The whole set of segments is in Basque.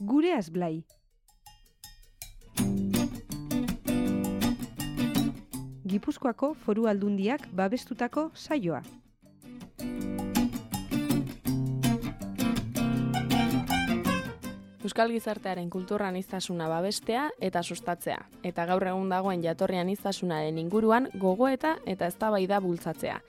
Gureaz Blai. Gipuzkoako Foru Aldundiak babestutako saioa. Euskal gizartearen kultura aniztasuna babestea eta sustatzea, eta gaur egun dagoen jatorri aniztasunaren inguruan gogoeta eta eztabaida bultzatzea.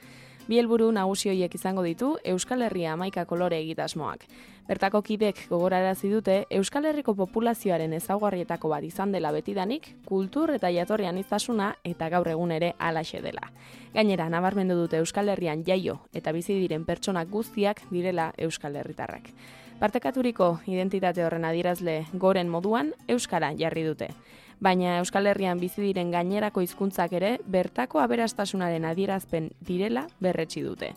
Bi helburu nagusi horiek izango ditu Euskal Herria 11 kolore egitasmoak. Bertako kidek gogorarazi dute Euskal Herriko populazioaren ezaugarrietako bat izan dela betidanik, kultur eta jatorri aniztasuna eta gaur egun ere halaxe dela. Gainera, nabarmendu dute Euskal Herrian jaio eta bizi diren pertsonak guztiak direla Euskal Herritarrak. Partekaturiko identitate horren adierazle goren moduan euskara jarri dute. Baina Euskal Herrian bizi diren gainerako hizkuntzak ere bertako aberastasunaren adierazpen direla berretsi dute.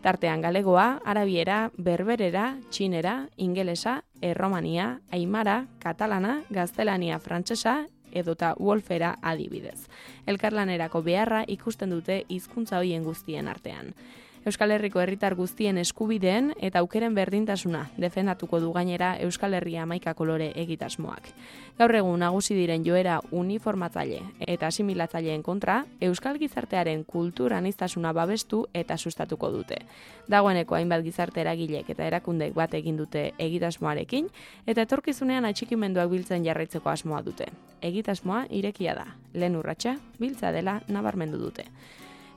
Tartean galegoa, arabiera, berberera, txinera, ingelesa, erromania, aimara, katalana, gaztelania, frantsesa edota wolfera adibidez. Elkarlanerako beharra ikusten dute hizkuntza horien guztien artean. Euskal Herriko herritar guztien eskubideen eta aukeren berdintasuna defendatuko du gainera Euskal Herria 11 kolore egitasmoak. Gaur egun nagusi diren joera uniformatzaile eta asimilatzaileen kontra, Euskal gizartearen kultura aniztasuna babestu eta sustatuko dute. Dagoeneko hainbat gizarte eragilek eta erakundek bat egin dute egitasmoarekin eta etorkizunean atxikimenduak biltzen jarraitzeko asmoa dute. Egitasmoa irekia da, lehen urratsa biltza dela nabarmendu dute.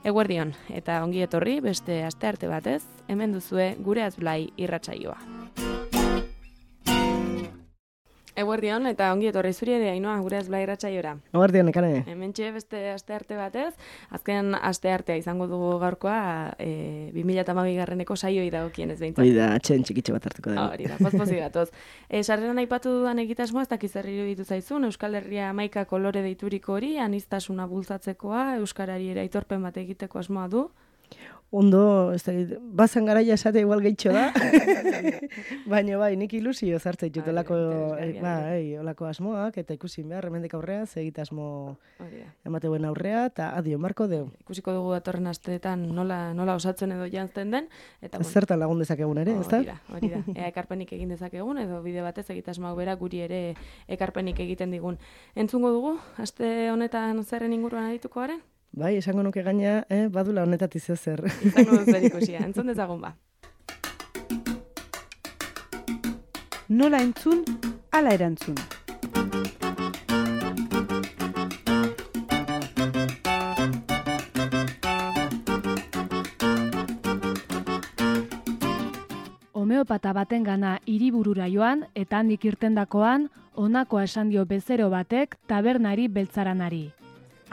Eguerdion, eta ongi etorri beste astearte batez, hemen duzue Gureaz Blai irratsaioa. Eguerdion, eta ongi etorri zuri ere, Ainhoa, Gureaz Blai irratsaiora. Eguerdion, ekane. Hementxe beste astearte batez, azken asteartea izango dugu gaurkoa 2012 saioi dagokienez behintzat. Hori da, atxen txikitxe bat hartuko dugu. Hori da, pozpozik gatoz. Sarreran aipatu dudan egitasmoa, ez dakiz zer iruditu zaizun, Euskal Herria 11 kolore deituriko hori, aniztasuna bultzatzekoa, euskarari ere aitorpen bat egiteko asmoa du. Ondo, bazan garaia esate igual gehitxo da, baina bai, nik ilusio zartzen dut olako asmoak, eta ikusi behar, hemendik aurrea, egitasmo emateuen aurrea, eta adio, marko deu. Ikusiko dugu datorren asteetan nola osatzen edo jantzen den. Zertan lagun dezakegun ere, ez da? Hori da, ea ekarpenik egin dezakegun, edo bide batez egitasmoak bera guri ere ekarpenik egiten digun. Entzungo dugu, aste honetan zerren inguruan adituko garen? Bai, esango nuke gaina, badula honetatik zer. Izango dut zer ikusia, entzun dezagun ba. Nola entzun, ala erantzun. Homeopata batengana hiriburura joan eta handik irtendakoan, honakoa esan dio bezero batek tabernari beltzaranari.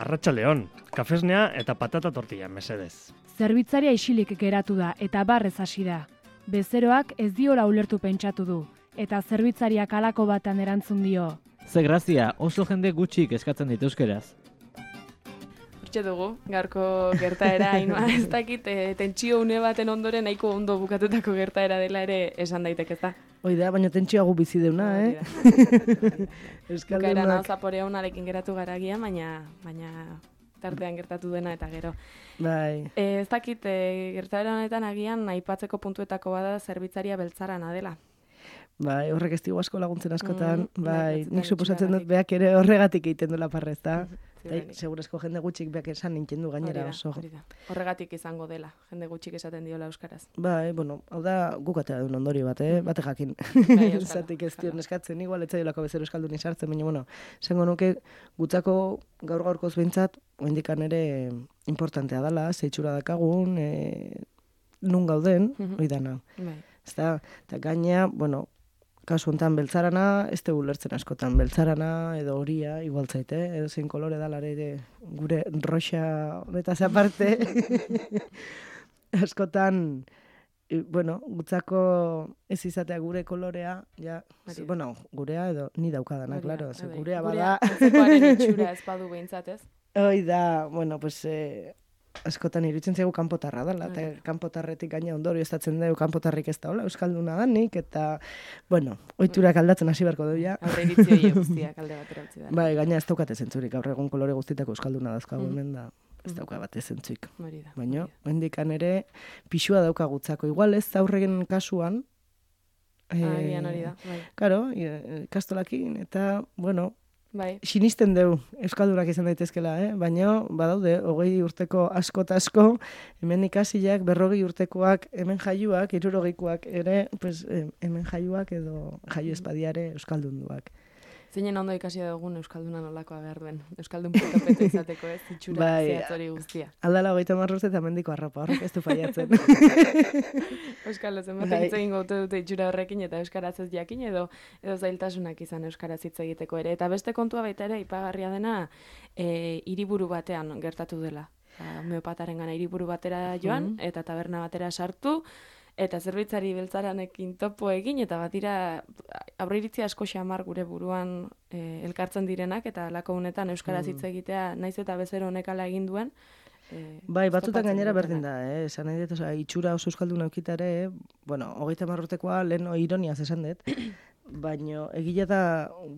Arratsaldeon, kafesnea eta patata tortilla, mesedez. Zerbitzaria isilik geratu da eta barrez hasi da. Bezeroak ez diola ulertu pentsatu du, eta zerbitzariak halako batan erantzun dio. Ze grazia, oso jende gutxik eskatzen dit euskeraz. Hortxe dugu, gaurko gertaera, Ainhoa, ez dakit, tentsio une baten ondoren nahiko ondo bukatutako gertaera dela ere esan daiteke, ez da? Hoi da, baina tentsioago bizi deuna, Bukaeran hau zaporea unarekin geratu garagia, baina tartean gertatu dena eta gero. Bai. Ez dakit, gertaera honetan agian aipatzeko puntuetako bada zerbitzaria beltzarana dela. Bai, horrek ez digu asko laguntzen askotan, bai, nik suposatzen dut beak ere horregatik egiten duela parrez, da? Segurezko jende gutxik beak esan nintzen du gainera oso. Horregatik izango dela, jende gutxik esaten diola euskaraz. Bai, bueno, hau da guk atera duen ondorio bat, bate jakin. Zatik ez dion eskatzen, igual etzaiolako bezero euskaldun izartzen, baina, bueno, esango nuke gutzako gaur-gaurkoz behintzat, oindikan ere importantea dela, zeitxura dakagun, nun gauden, hori dana. Eta gaina, bueno, kasu honetan beltzarana, ez dugu lertzen askotan, beltzarana edo horia, igual zaite, edo zein kolore dalare ere gure roxa honetaz aparte, askotan, bueno, gutzako ez izatea gure kolorea, ja, bueno, gurea edo ni daukadana, klaro, gurea bada. Gurearen itxura ez badu behintzat, ez? Hoi da, bueno, pues, askotan iruditzen zaigu kanpotarra dela, eta kanpotarretik gaina ondorio estatzen dugu kanpotarrik ez da, hola, euskalduna danik, eta, bueno, ohiturak aldatzen hasi beharko dugu, ja. Aurre iritzi guztiak alde batera utzi da. Bai, gaina ez daukate zentzurik, gaur egun kolore guztitako euskalduna dazkagu hemen da, ez dauka bate zentzuik. Baina, hendikan ere, pixua dauka gutzako. Igual ez aurregen kasuan, Agian hori da, bai. Karo, kastolakin, eta, bueno, Bai. sinisten dugu euskaldunak izan daitezkela, baina badaude 20 urteko asko eta asko, hemen ikasiak, 40 urtekoak, hemen jaiuak, 60koak ere, pues, hemen jaiuak edo jaio espadiare euskaldunduak. Zeinen ondo ikasi dugun euskalduna nolakoa behar duen. Euskaldun peto izateko ez, itxura zehatzori guztia. Aldala 30 urte eta mendiko arropa, horrek ez du faiatzen. Euskalo zenbatek hitz egingo dute itxura horrekin eta euskaraz ez jakin edo zailtasunak izan euskaraz hitz egiteko ere. Eta beste kontua baita ere, ipagarria dena, hiriburu batean gertatu dela. Homeopatarengana hiriburu batera joan, eta taberna batera sartu, eta zerbitzari beltzaranekin topo egin, eta batira aurreiritzi asko xamar gure buruan elkartzen direnak, eta alako honetan euskaraz hitz egitea, naiz eta bezero honek ala egin duen. Bai, batzutan gainera berdin da, esan nahi dut, itxura oso euskaldun aukitare, bueno, 30 urtekoa lehen ironiaz esan dut, baina egile da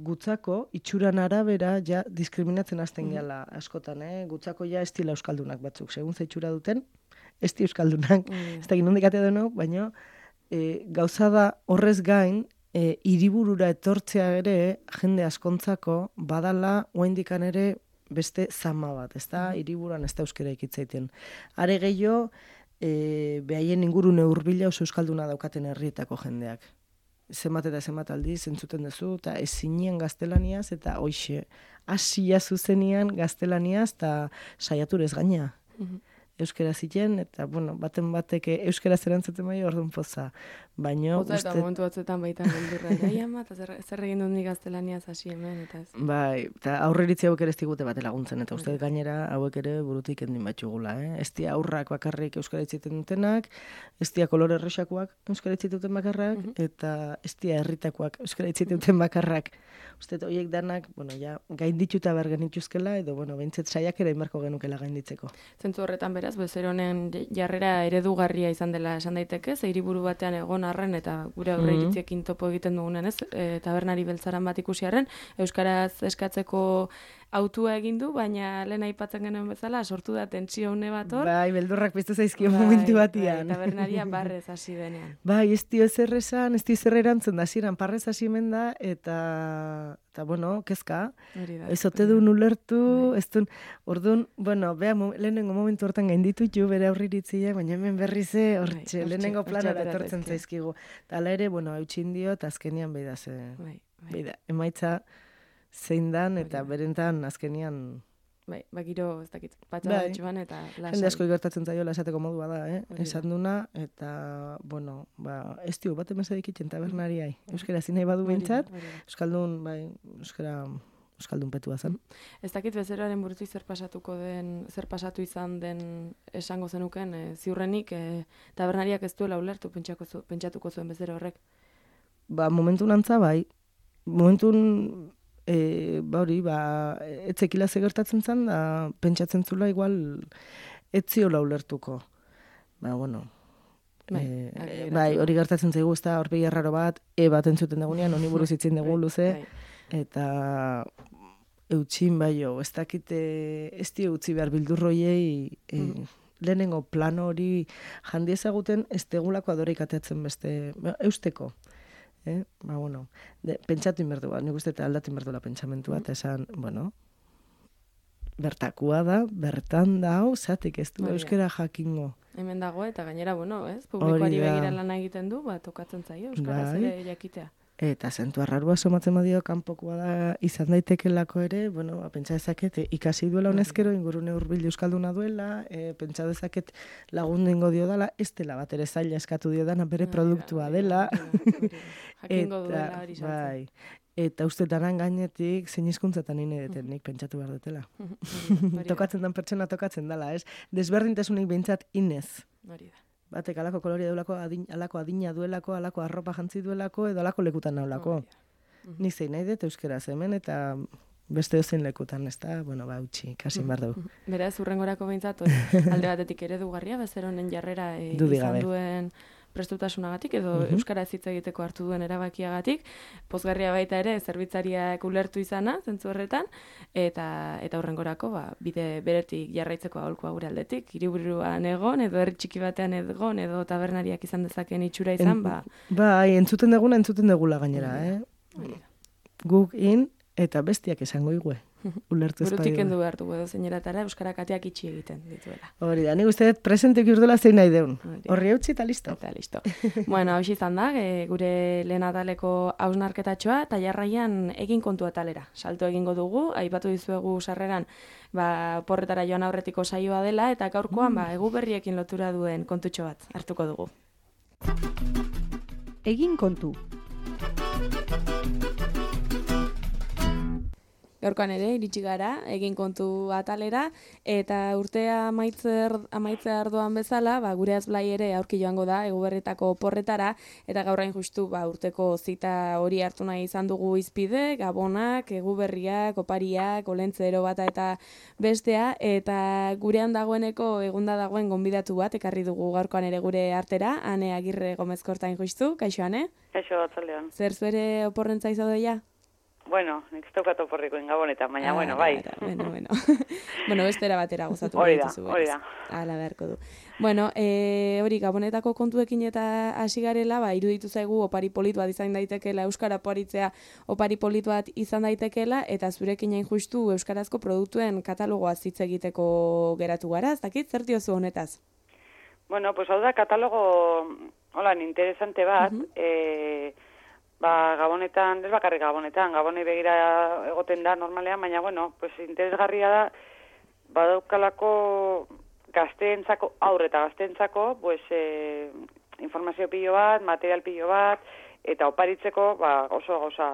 gutzako itxuran arabera ja diskriminatzen hasten gehala askotan, gutzako ja estila euskaldunak batzuk, segun ze itxura duten, esti euskaldunak, ez da ginondik atea denok, baina gauza da horrez gain, hiriburura etortzea ere, jende askontzako, badala, oaindikan ere, beste zama bat, ez da, hiriburuan ez da euskera ikitzaiten. Are gehiago, behaien ingurune hurbila oso euskalduna daukaten herrietako jendeak. Zenbat eta zenbat aldiz entzuten duzu, eta ezinien gaztelaniaz, eta hoixe, hasia zuzenian gaztelaniaz, eta saiaturez gaina. Euskera ziren, eta, bueno, baten bateke euskera zerantzuten bai orduan poza. Baina, uste... Eta momentu batzuetan baita geldurra, ama, eta zer egin dut nik gaztelaniaz hasi hemen, eta ez. Bai, eta aurreritzi hauek ere ez digute bate laguntzen, eta uste gainera hauek ere burutik endin batxugula, Ez dia aurrak bakarrik euskara itziten dutenak, ez dia kolore errexakoak euskara itziten duten bakarrak, eta ez dia herritakoak euskara itziten duten bakarrak. Uste, horiek danak, bueno, ja, gaindituta behar genituzkela, edo, bueno, behintzet saiak ere inbarko genukela gainditzeko. Zentzu horretan beraz, bezero honen jarrera eredugarria izan dela esan daiteke, ze hiriburu batean egon arren eta gure aurreiritziekin topo egiten dugunen, ez? Tabernari beltzaran bat ikusi arren, euskaraz eskatzeko autua egin du, baina lehen aipatzen genuen bezala, sortu da tentsio une bat hor. Bai, beldurrak piztu zaizkio momentu batian. Tabernaria barrez hasi denean. Bai, ez dio ezer esan, ez dio ezer erantzen da, ziren parrez hasi menda, eta bueno, kezka. Ez ote duen ulertu, ez duen, orduan, bueno, beha, lehenengo momentu hortan gainditutu bere aurriritziak, baina hemen berrize, hortxe, lehenengo planara etortzen zaizkigu. Eta ala ere, bueno, hautsin dio, eta azkenian beida ze, beida, emaitza zein dan, eta berentan azkenian... Bai, giro, ez dakit, patxadatxuan eta lasai. Jende asko gertatzen zaiola esateko modua da, esan duna, eta, bueno, ez dio, bat emezadik itxen tabernariai. Euskara zinei badu behintzat, euskaldun, bai, euskaldun petua zen. Ez dakit bezeroaren burutik zer pasatu izan den esango zenuken, ziurrenik, tabernariak ez duela ulertu pentsatuko zuen bezero horrek. Momentun antza, bai, momentun... hori, etzekila gertatzen zen, da pentsatzen zula igual etziola ulertuko. Bueno, bai, hori gertatzen zaigu, ez da, horpegi erraro bat, bat entzuten dagunean, honi buruz itzin dugu luze, eta eutxin bai jo, ez dakite, ez dio utzi behar bildurroiei, lehenengo plano hori jandi ezaguten, ez tegulako adoreik ateatzen beste, eusteko. Bueno, pentsatu inberdu bat, nik uste eta aldatu inberduela pentsamentua, eta esan, bueno, bertakua da, bertan da, zatik ez du euskera jakingo. Hemen dago, eta gainera, bueno, ez, publikoari begira lan egiten du, tokatzen zaio, euskaraz ere jakitea. Eta zentu arrarua somatzen badio kanpokoa da izan daitekelako ere, bueno, pentsa dezaket ikasi duela honezkero, ingurune hurbil euskalduna duela, pentsa dezaket lagundengo dio dela, ez dela bat ere zaila eskatu dio dana bere produktua dela. Jakingo duela hori sartzen. Eta ustetan gainetik zein hizkuntzatan inedeten nik pentsatu behar dutela. Tokatzen den pertsona tokatzen dela, ez? Desberdintasunik behintzat inez. Hori da. Batek alako koloria duelako, alako adina duelako, alako arropa jantzi duelako, edo alako lekutan naulako. Nik zein nahi dut euskeraz hemen, eta beste zein lekutan, ez da, bueno, utxi, kasin behar dugu. Beraz, urrengorako behintzat, alde batetik eredugarria, bezeronen jarrera izan duen prestutasunagatik edo euskaraz hitz egiteko hartu duen erabakiagatik, pozgarria baita ere zerbitzariak ulertu izana, zentzu horretan, eta hurrengorako bide beretik jarraitzeko aholkua gure aldetik, hiriburuan egon, edo herri txiki batean egon, edo tabernariak izan dezakeen itxura izan, Bai, entzuten degula gainera, Guk eta bestiak esango igue. Ulertu ez burutik kendu behar dugu edo zeineratara euskarak ateak itxi egiten dituela. Hori da, nik uste dut presentek urdela zein nahi deun. Horri eutxi eta listo. Eta listo. Bueno, hau izan da, gure lehen ataleko hausnarketatxoa, eta jarraian egin kontu atalera. Salto egingo dugu, aipatu dizuegu sarreran, porretara joan aurretiko saioa dela, eta gaurkoan egu berriekin lotura duen kontutxo bat hartuko dugu. Egin kontu. Gaurkoan ere, iritsi gara, egin kontu atalera, eta urtea amaitzea ardoan bezala, gure azblai ere aurki joango da, eguberritako porretara, eta gaurain justu urteko zita hori hartu nahi izan dugu izpide, gabonak, eguberriak, opariak, olentzero bata eta bestea, eta gurean dagoeneko egunda dagoen gonbidatu bat, ekarri dugu gaurkoan ere gure artera, Ane Agirre Gomezkortain justu, kaixo Ane? Kaixo, atzaldean. Zer zuere oporrentza izadoia? Bueno, nik zaukat oporrikoen gabonetan, baina, bai. Bueno, bestera batera gozatu. Hori da. Hala beharko du. Bueno, hori gabonetako kontuekin eta hasi garela, iruditu zaigu opari polit bat izan daitekeela, euskara oparitzea opari polit bat izan daitekeela, eta zurekin hain justu euskarazko produktuen katalogoa hitz egiteko geratu gara, ez dakit, zer diozu honetaz? Bueno, pues hau da katalogo, interesante bat, gabonetan, ez bakarrik gabonetan, gabonei begira egoten da normalean, baina, pues interesgarria da, badaukalako gazteentzako, aurre eta gazteentzako, pues, informazio pilo bat, material pilo bat, eta oparitzeko, oso gauza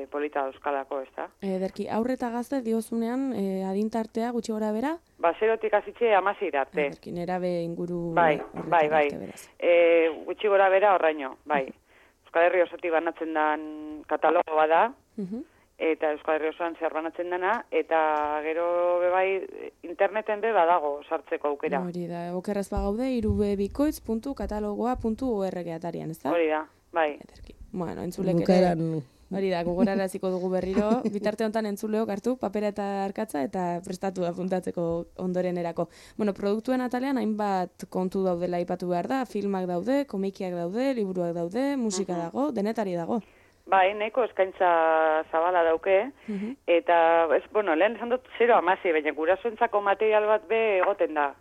polita euskalako, ez da? Ederki, aurre eta gazte diozunean adintartea gutxi gora bera? Zerotik azitxe 16 arte. Ederki, nerabe inguru... Bai. Gutxi gora bera horraino, bai. Euskal Herri osotik banatzen den katalogoa da, eta Euskal Herri osoan zehar banatzen dena, eta gero bebai interneten badago sartzeko aukera. Hori da, okerraz bagaude, irubebikoitz.katalogoa.org atarian, ez da? Hori da, bai. Bueno, entzulek ere... Hori da, gogoraraziko dugu berriro, bitarte honetan entzuleok hartu, papera eta arkatza, eta prestatu apuntatzeko ondorenerako. Bueno, produktuen atalean hainbat kontu daudela aipatu behar da, filmak daude, komikiak daude, liburuak daude, musika dago, denetari dago. Bai, nahiko eskaintza zabala dauke, eta, lehen esan dut 0-16, baina gurasoentzako material bat egoten da,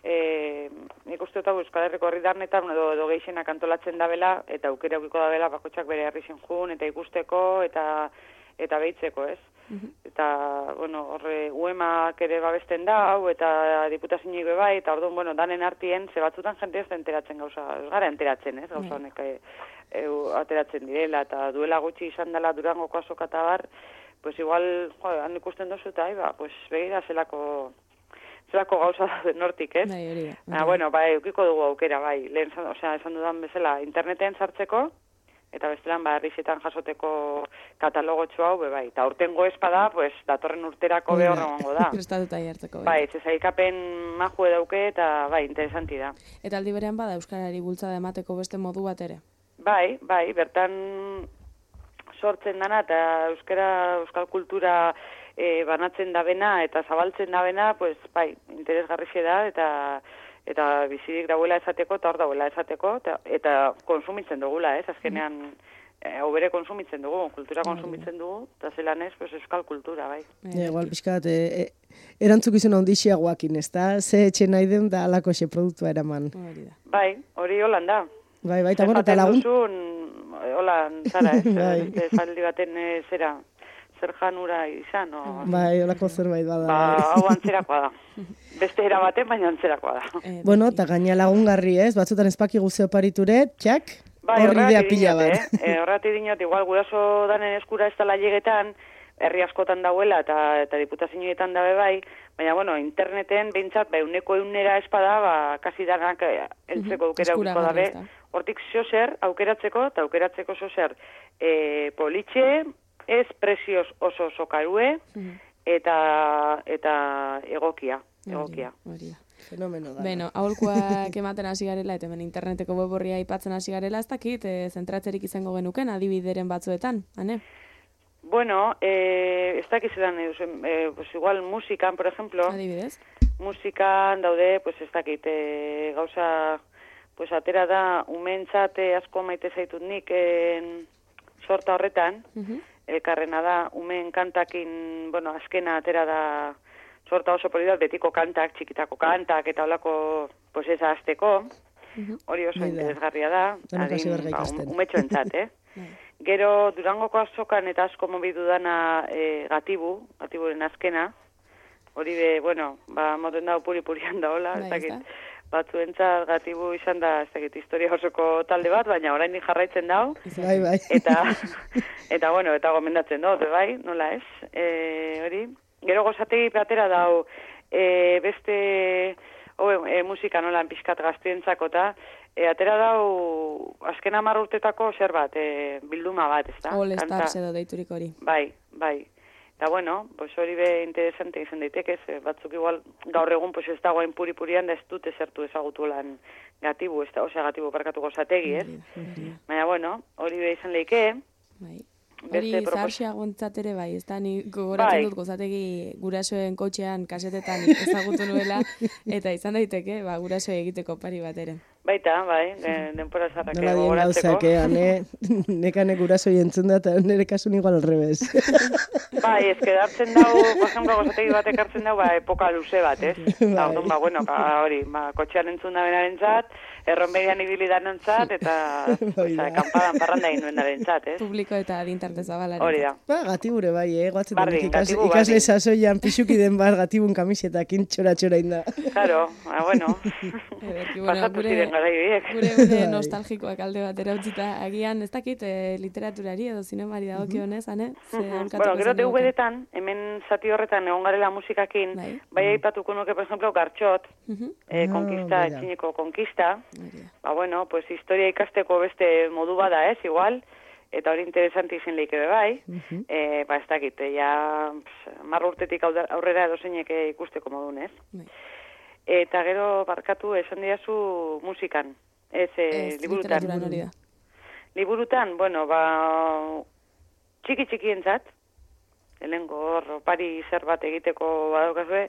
nik uste dut Euskal Herriko herritarnetan edo gehienak antolatzen dabela, eta aukera aukiko dabela bakotxak bere herri jun, eta ikusteko, eta behitzeko, ez? Eta, horre, UEMak ere babesten da, eta diputazioik bai, eta orduan, danen artien, ze batzutan jente ez da enteratzen gauza, ez gara enteratzen, ez? Gauza honek ateratzen direla, eta duela gutxi izan dela Durangoko azoka eta bar, pues igual, han ikusten dozu eta, pues begira zelako gauza da nortik, ez? Eukiko dugu aukera, lehen, esan dudan bezala, interneten sartzeko, eta bestelan, herrixetan jasoteko katalogotxo hau, eta urtengo espada, pues, datorren urterako behorrengo da. Prestatuta jartzeko. Zezaikapen majue dauke, eta, interesanti da. Eta aldi berean bada euskarari bultzada emateko beste modu bat ere? Bertan sortzen dana, eta euskal kultura banatzen dabena eta zabaltzen dabena, pues, interesgarrixe da, eta bizirik dauela esateko, eta hor dauela esateko, eta konsumitzen dugula, ez? Azkenean, bere konsumitzen dugu, kultura konsumitzen dugu, eta zelan ez, pues, euskal kultura, bai. Igual, pixkat, erantzukizun ondixiagoakin, ez da? Ze etxe nahi den da alako xe produktua eraman. Hori holan da. Eta eta lagun... Holan, zara, ez? Zaldi baten zera... zer janura izan, holako zerbait bada. Hau antzerakoa da. Beste era baten, baina antzerakoa da. Eta gaina lagungarri, ez? Batzutan espaki guzeo pariture, txak, horri idea pila bat. Horrati dinot, igual, guraso danen eskura ez dala llegetan, herri askotan dauela eta diputazioetan dabe bai, baina, interneten, behintzat, euneko eunera espada, kasi danak eltzeko aukera aukiko dabe. Hortik zozer, aukeratzeko, eta aukeratzeko zozer, politxe, ez prezioz oso karue, eta egokia. fenomeno da. Beno, aholkuak ematen hasi garela, eta hemen interneteko web horria aipatzen hasi garela, ez dakit, zentratzerik izango genuken, adibideren batzuetan, ane? Bueno, ez dakiz edan, pues igual musikan, por ejemplo. Adibidez? Musikan daude, pues ez dakit, gauza, pues atera da, umentzat asko maite zaitut nik sorta horretan, elkarrena da, umen kantakin, bueno, azkena atera da, sorta oso polidat, betiko kantak, txikitako kantak, eta holako, pues ez azteko, hori oso interesgarria da, umetxoentzat, Gero, Durangoko azokan eta asko mobidu dana gatiburen azkena, hori be, bueno, moten dago puri-purian da hola, ez dakit, batzuentzat gatibu izan da, ez dakit, historia osoko talde bat, baina oraindik jarraitzen dau, Bai. eta bueno, eta gomendatzen dut, bai, nola ez, hori. Gero gozategi atera dau, beste, musika nolan pixkat gaztientzako eta, atera dau, azken 10 urtetako zer bat, bilduma bat, ez da? All Stars edo deiturik hori. Bai. Eta bueno, pues hori be interesante izan daitekez, batzuk igual gaur egun pues ez dagoen puri-purian da ez dute zertu ezagutu lan gatibu, gatibu parkatu gozategi, ez? Baina bueno, hori be izan leike. Bai. Hori zaharxeagontzat ere bai, ez da, ni gogoratzen dut gozategi gurasoen kotxean, kasetetan ezagutu nuela, eta izan daiteke, gurasoe egiteko pari bat ere. Baita, bai, denpora zarrak gogoratzeko. Nola dien gauzak, nekane gurasoi entzun da, eta nire kasun igual al revés. Bai, ez kedartzen dau, por ejemplo, gozategi batek hartzen dau, epoka luze bat, ez? Eta orduan, bueno, hori, kotxean entzun da benarentzat, erronberian ibili danontzat, eta kanpadan parranda inuen darentzat, ez? Publiko eta adintarte zabalari. Hori da. Gatibure bai, guatzen ikasle sasoian pixuki den bar gatibun kamisetakin txora-txora inda. Claro, bueno. Pasatu ziren garai horiek. Gure nostalgikoak alde batera utzita, agian ez dakit literaturari edo zinemari dagokionez, ane? Bueno, gero DVD-etan, hemen zati horretan egon garela musikakin, bai aipatuko nuke, por ejemplo, Gartxot, konkista, etxineko konkista, bueno, pues historia ikasteko beste modu bada, igual, eta hori interesanti izin leike bai, ez dakit, ja 10 urtetik aurrera edozeinek ikusteko modun, ez? Eta gero barkatu esan diazu musikan, liburutan. Liburutan, bueno, txiki-txikientzat, helengo hor, pari zer bat egiteko badokazue,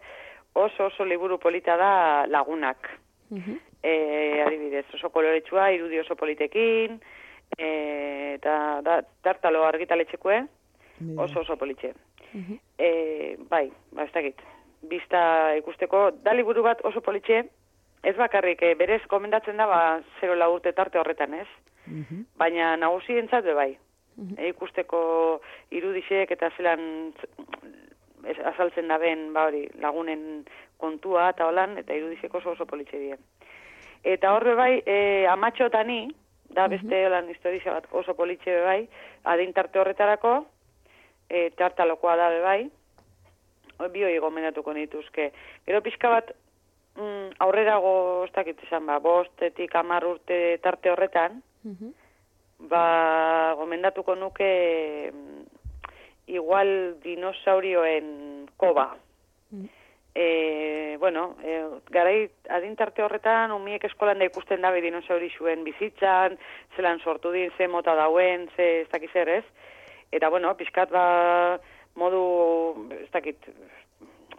oso liburu polita da Lagunak. Adibidez, oso koloretsua, irudi oso politekin, eta tartalo argitaletxekue, oso politxe. Bai, ez dakit. Bista ikusteko, da liburu bat oso politxe, ez bakarrik, berez komendatzen da, 0 urte tarte horretan, ez? Baina nagusientzat bai. Ikusteko irudixek eta zelan azaltzen da ben, hori, lagunen kontua eta holan, eta irudixek oso politxe dien. Eta horre bai, Amatxotani, da beste holan historia bat oso politxe bai, adin tarte horretarako, tartalokoa da bai, bioi gomendatuko nituzke. Gero pixka bat aurrerago, ez dakit esan, 5-10 urte tarte horretan, gomendatuko nuke igual dinosaurioen koba. Bueno, garai adintarte horretan, umiek eskolan da ikusten dabe dinosauri zuen bizitzan, zelan sortu din, ze mota dauen, ez dakiz zer, ez? Eta, bueno, pixkat modu, ez dakit,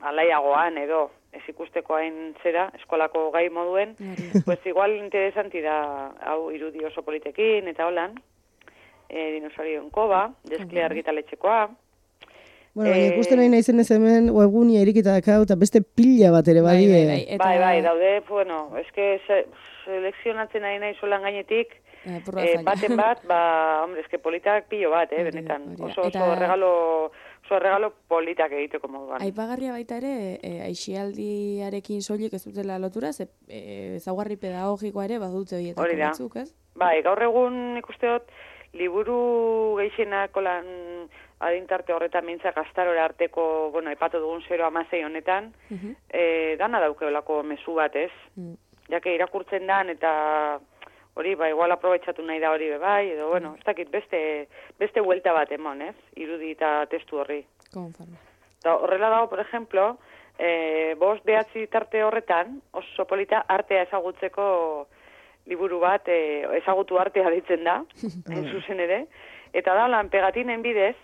alaiagoan edo, ez ikusteko hain zera, eskolako gai moduen, pues igual interesanti da, hau irudi oso politekin, eta holan, dinosaurioen koba, deskle argitaletxekoa. Bueno, ikusten nahi naizen ez hemen, webgunia irikita dakau, eta beste pila bat ere badie. Bai, daude, bueno, eske selekzionatzen nahi nahi solan gainetik, baten bat, hombre, eske politak pilo bat, benetan. Oso regalo politak egiteko moduan. Aipagarria baita ere, aixialdiarekin soilik ez dutela lotura, ezaugarri pedagogikoa ere badute horietako batzuk, ez? Bai, gaur egun ikusteot, liburu gehienak lan adintarte horretan mintzak astarora arteko, bueno, aipatu dugun 0-16 honetan, dana daukeolako mezu bat, ez? Jake irakurtzen dan eta hori, igual aprobetxatu nahi da hori bai, edo, bueno, ez dakit beste huelta bat emon, ez? Irudi eta testu horri. Konforme. Horrela dago, por ejemplo, 5-9 tarte horretan, oso polita artea ezagutzeko liburu bat, ezagutu artea ditzen da, zuzen ere, eta da lan pegatinen bidez,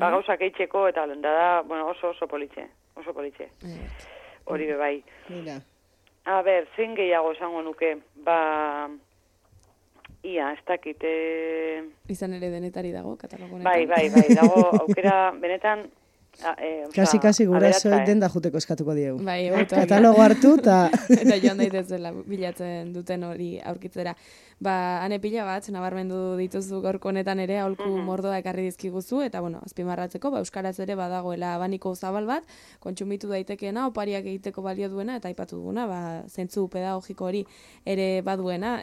gauzak eitzeko, eta da, bueno, oso politxe. Hori bebai. Mira. A ber, zein gehiago esango nuke, ia, ez dakit. Izan ere denetari dago, katalogo bai, dago, aukera, benetan, Kasi gurasoek denda juteko eskatuko diegu. Bai, katalogo hartu eta... eta joan daitezela bilatzen duten hori aurkitzera. Ane pila bat, nabarmendu dituzu gaurko honetan ere, aholku mordoa ekarri dizkiguzu, eta bueno, azpimarratzeko, euskaraz ere badagoela abaniko zabal bat, kontsumitu daitekeena, opariak egiteko balio duena, eta aipatu duguna, zentzu pedagogiko hori ere baduena.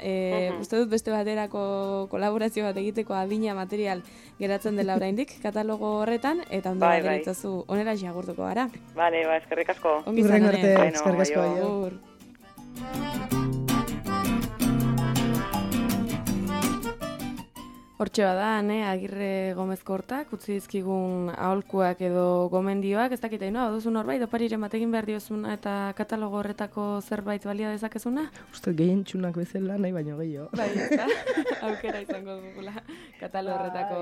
Uste dut beste baterako kolaborazio bat egiteko adina material geratzen dela oraindik katalogo horretan, eta ondo geritzazu onera jagurtuko gara. Bale, eskerrik asko. Ongi izan arte, eskerrik asko. Agur. Hortxe bada, Agirre Gomezko hortak, utzi dizkigun aholkuak edo gomendioak, ez dakit hain, duzu norbait, opariren batekin behar diozuna eta katalogo horretako zerbait balia dezakezuna? Uste, gehien txunak bezala nahi baino gehiago. Bai, eta aukera izango dugula katalogo horretako...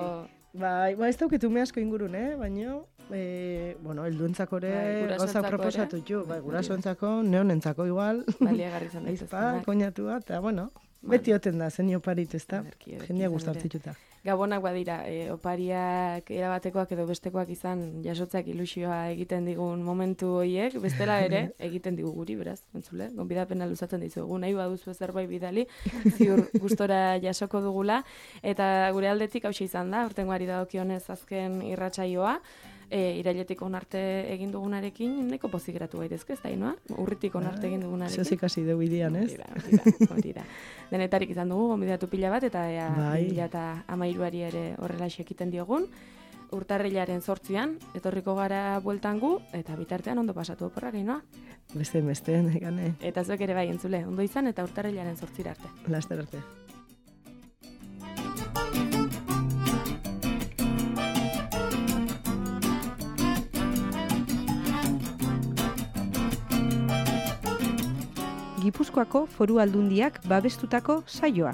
Bai, ez dauketu me asko ingurun, baino, helduentzako ere gauzak proposatu txu, gurasoentzako, neonentzako igual, baliagarri izan daitezkenak. Koinatua, eta bueno, beti oten da, zen oparit, ez da, jendia gustatzituta. Gabonak badira, opariak erabatekoak edo bestekoak izan jasotzeak ilusioa egiten digun momentu horiek, bestela ere egiten digu guri, beraz, entzule, gonbidapena luzatzen dizugu, nahi baduzu zerbait bidali, ziur gustora jasoko dugula, eta gure aldetik hauxe izan da, urtengoari dagokionez azken irratsaioa, irailetik onarte egin dugunarekin, neko pozik geratu gaitezke, ez da, inoa? Urritik onarte egin dugunarekin. Zozik hasi dugu idian, ez? Hori da. Denetarik izan dugu, gonbidatu pila bat, eta 2013 ere horrela ekiten diogun. Urtarrilaren 8an, etorriko gara bueltan gu, eta bitartean ondo pasatu oporrak, inoa? Beste, negane. Eta zuek ere bai, entzule, ondo izan, eta urtarrilaren 8 arte. Laster arte. Gipuzkoako Foru Aldundiak babestutako saioa.